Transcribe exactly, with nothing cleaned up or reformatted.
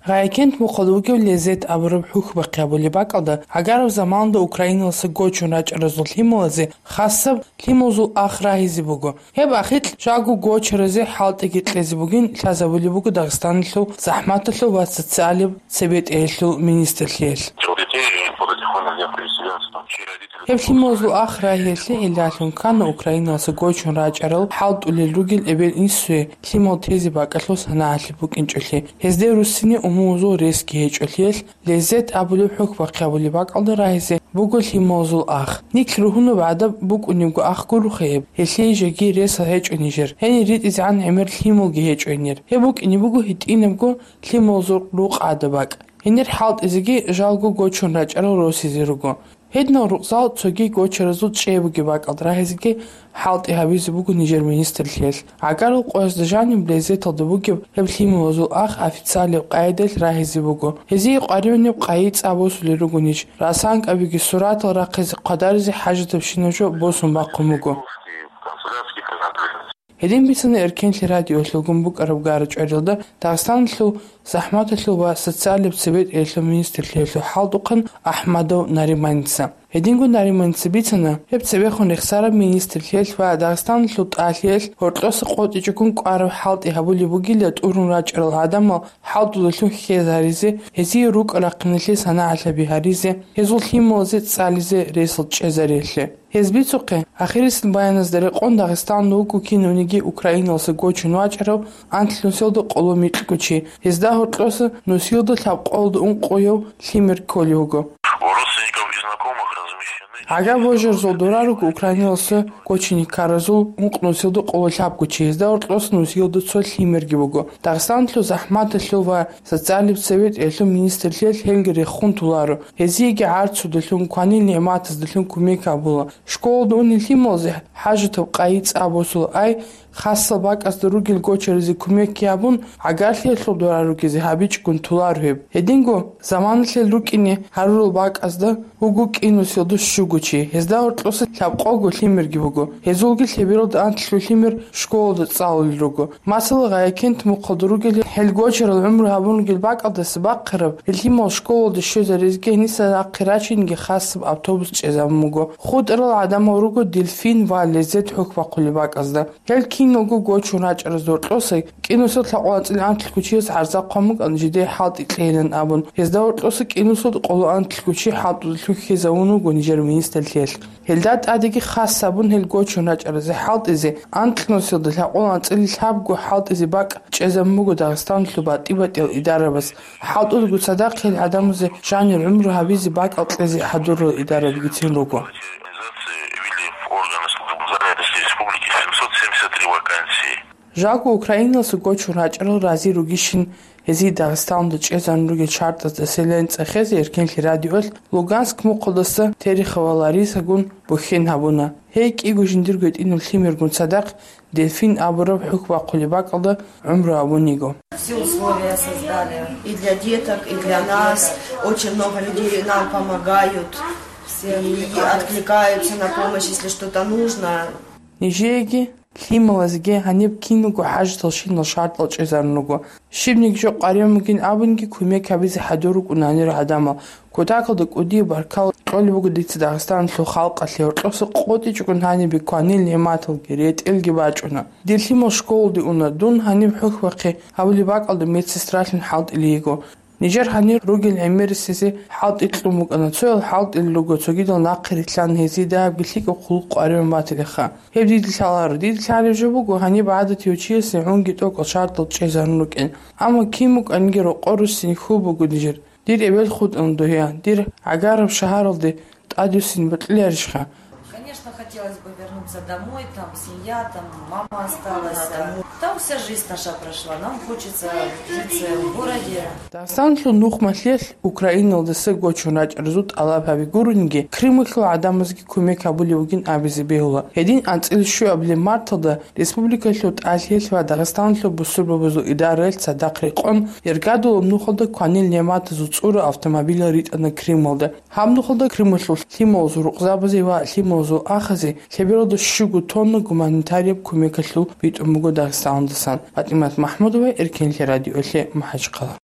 Гъайкент мухъалда вугев Лезет абураб хӀухьбахъи гьабулеб бакӀалда, гӀагараб заманалда Украиналаса гочун рачӀаразул лъималазе хасаб лъималазул ах рагьизе буго. Гьеб ахикь жаго гочаразе хӀалтӀиги кьезе бугин лъазабулеб буго Дагъистаналъул захӀматалъул ва социалияб цебетӀеялъул министрлъиялъ. Гьеб лъималазул ах рагьиялъе гӀиллалъун ккана Украиналаса гочун рачӀарал хӀалтӀулел ругел эбел-инсуе лъимал тезе бакӀалъул санагӀалъи букӀинчӀолъи, гьезде руссине умумузул ресги гьечӀолъиялъ. Лезет абулеб хӀухьбахъи гьабулеб бакӀалда рагьизе буго лъималазул ах. Нилъ ругьунаб гӀадаб букӀунебго ах гуроха гьеб, гьелъие жеги ресал гьечӀо нижер, гьенир ритӀизегӀан гӀемер лъималги гьечӀо гьенир. Гьеб букӀине буго гьитӀинабго лъималазул рукъ гӀадаб бакӀ. Гьенир хӀалтӀизеги жалго гочун рачӀарал росизе руго. Гьединал рукъзал цоги гочаразул чӀей бугеб бакӀалда рагьизеги хӀалтӀи гьабизе буго нижер министрлъиялъ. ГӀагарал къоязда жаниб Лезеталда бугеб гьеб лъималазул ах официалияб къайдаялъ рагьизе буго. Гьезие къваригӀунеб къайи цӀа босулел руго ниж. РасанкӀабиги суратал рахъизе хъвадаризе хӀажатабщинаб жо босун бахъун буго. Гьедин бицана Эркенлъи радиоялъулгун букӀараб гара-чӀварилда Дагъистаналъул захӀматалъул ва социалияб цебетӀеялъул министрлъиялъул хӀалтӀухъан Ахмадов Нариманица. Гьединго Нариманица бицана, гьеб цебехун рехсараб министрлъиялъ ва Дагъистаналъул тӀалъиялъ гьоркьоса къотӀичӀогун кӀвараб хӀалтӀи гьабулеб бугила тӀурун рачӀарал гӀадамал хӀалтӀудалъун хьезаризе, гьезие рукӀа-рахъиналъе санагӀалъаби гьаризе, гьезул лъималазе цӀализе ресал чӀезариялъе. Гьез бицухъе, ахирисел баяназда рекъон Дагъистаналда вуго кинавниги Украиналаса гочун вачӀарав анлънусиялда къоло микьго чи, гьезда гьоркьоса нусиялда лъабкъоялда ункъояв лъимер кколев вуго. У родственников и знакомых размещены... ГӀагар божарзул дора руго Украиналаса гочине ккаразул ункънусиялда къоло лъабго чи, гьезда гьоркьоса нусиялда цо лъимерги буго. Дагъистаналъул захӀматалъул ва социалияб цебетӀеялъул министрлъиялъ гьелги рехун толаро. Гьезиеги гӀарцудалъун, кванил нигӀматаздалъун кумек гьабула. Школалда унел лъималазе хӀажатаб къайи цӀа босула, ай, хасал бакӀазда ругел гочаразе кумекги гьабун, гӀагарлъиялъул дора ругезе гьабичӀгун толаро гьеб. Гьединго заманалъе рукӀине гьарурал бакӀазда вуго кӀинусиялда щуго чи, гьезда гьоркьоса лъабкъого лъимерги буго. Гьезулги лъебералда анлъго лъимер школалда цӀалулел руго. Масала, Гъайкент мухъалда ругел гьел гочарал гӀумру гьабун ругел бакӀалдаса бахъараб, гьел лъимал школалде щвезарезеги гьениса нахъе рачинеги хасаб автобус чӀезабун буго. ХутӀарал гӀадамал руго Дельфин ва Лезет хӀухьбахъулеб бакӀазда. Гьел киналго гочун рачӀараз гьоркьоса кӀинусиялда лъабкъоялда анцӀила анлъго чияс гӀарза хъван букӀана жидее хӀалтӀи кьейилан абун. Гьезда гьоркьоса кӀинусиялда къоло анлъго чи хӀалтӀудалъун хьезавун вуго нижер министрлъиялъ. Гьелда тӀадеги хас гьабун гьел гочун рачӀаразе хӀалтӀизе, анкьнусиялда лъабкъоялда анцӀила лъабго хӀалтӀизе бакӀ чӀезабун буго Дагъистаналъул батӀи-батӀиял идарабаз. ХӀалтӀулго цадахъ гьел гӀадамазе жанир гӀумру гьабизе бакӀал кьезе хӀадурал идарабигицин руго. Жаго Украиналаса гочун рачӀарал рази ругищин гьезие Дагъистаналда чӀезарун ругел шартӀазда селен цӀехезе Эркенлъи радиоялъ Луганск мухъалдаса Терехова Ларисагун бухьен гьабуна. Гьей кӀиго жиндирго гьитӀинаб лъимергун цадахъ Дельфин абураб хӀухьбахъулеб бакӀалда гӀумру гьабун йиго. Все условия создали и для деток, и для нас. Очень много людей нам помогают. Все и откликаются на помощь, если что-то нужно. Нижееги лъималазеги гьаниб киналго хӀажаталщинал шартӀал чӀезарун руго. Щибниги жо къваригӀун бугин абунги кумек гьабизе хӀадур рукӀуна гьанир гӀадамал. Кутакалда кӀудияб баркал кьолеб буго дица Дагъистаналъул халкъалъе, гьоркьоса къотӀичӀогун гьанибе кванил нигӀматалги, ретӀелги бачӀуна. Дир лъимал школалде уна, дун гьаниб хӀухьбахъи гьабулеб бакӀалда медсестралъун хӀалтӀулев йиго. Нижер гьанир ругел гӀемерисезе хӀалтӀи кьун букӀана, цоял хӀалтӀулел руго, цогидал нахъе рилълъан гьезие дагьабги лъикӀаб хъулухъ къваригӀун батилаха. Гьеб дида лъаларо, дида лъалеб жо буго, гьаниб гӀадатияв чиясе гӀунги тӀокӀал шартӀал чӀезарун рукӀин. Амма кин букӀаниги рокъор руссин хьул буго нижер. Дир эбел хутӀана дугьа, дир гӀагараб шагьаралде тӀадвуссин бокьиларищха? Конечно, хотелось бы вернуться домой, там семья, там мама осталась. Там вся жизнь наша прошла. Нам хочется жить в своём городе. Дагъистаналъул нухмалъиялъ Украиналдаса гочун рачӀаразул тӀалаб гьаби гурониги, Крымалъул гӀадамазги кумек гьабулев вугин абизе бегьула. Гьедин анцӀила щуабилеб марталда республикалъул тӀалъиялъ ва Дагъистаналъул бусурбабазул идараялъ цадахъ рекъон, Яргадулаб нухалда кванил нигӀматазул цӀура автомобилал ритӀана Крымалда. Гьаб нухалда Крымалъул лъималазул рукъзабазе ва лъималазул ахазе лъебералда щуго тонна гуманитарияб кумекалъул битӀун буго Дагъистаналдасан. ПатӀимат МахӀмудова, Эркенлъи радиоялъе, МахӀачхъала.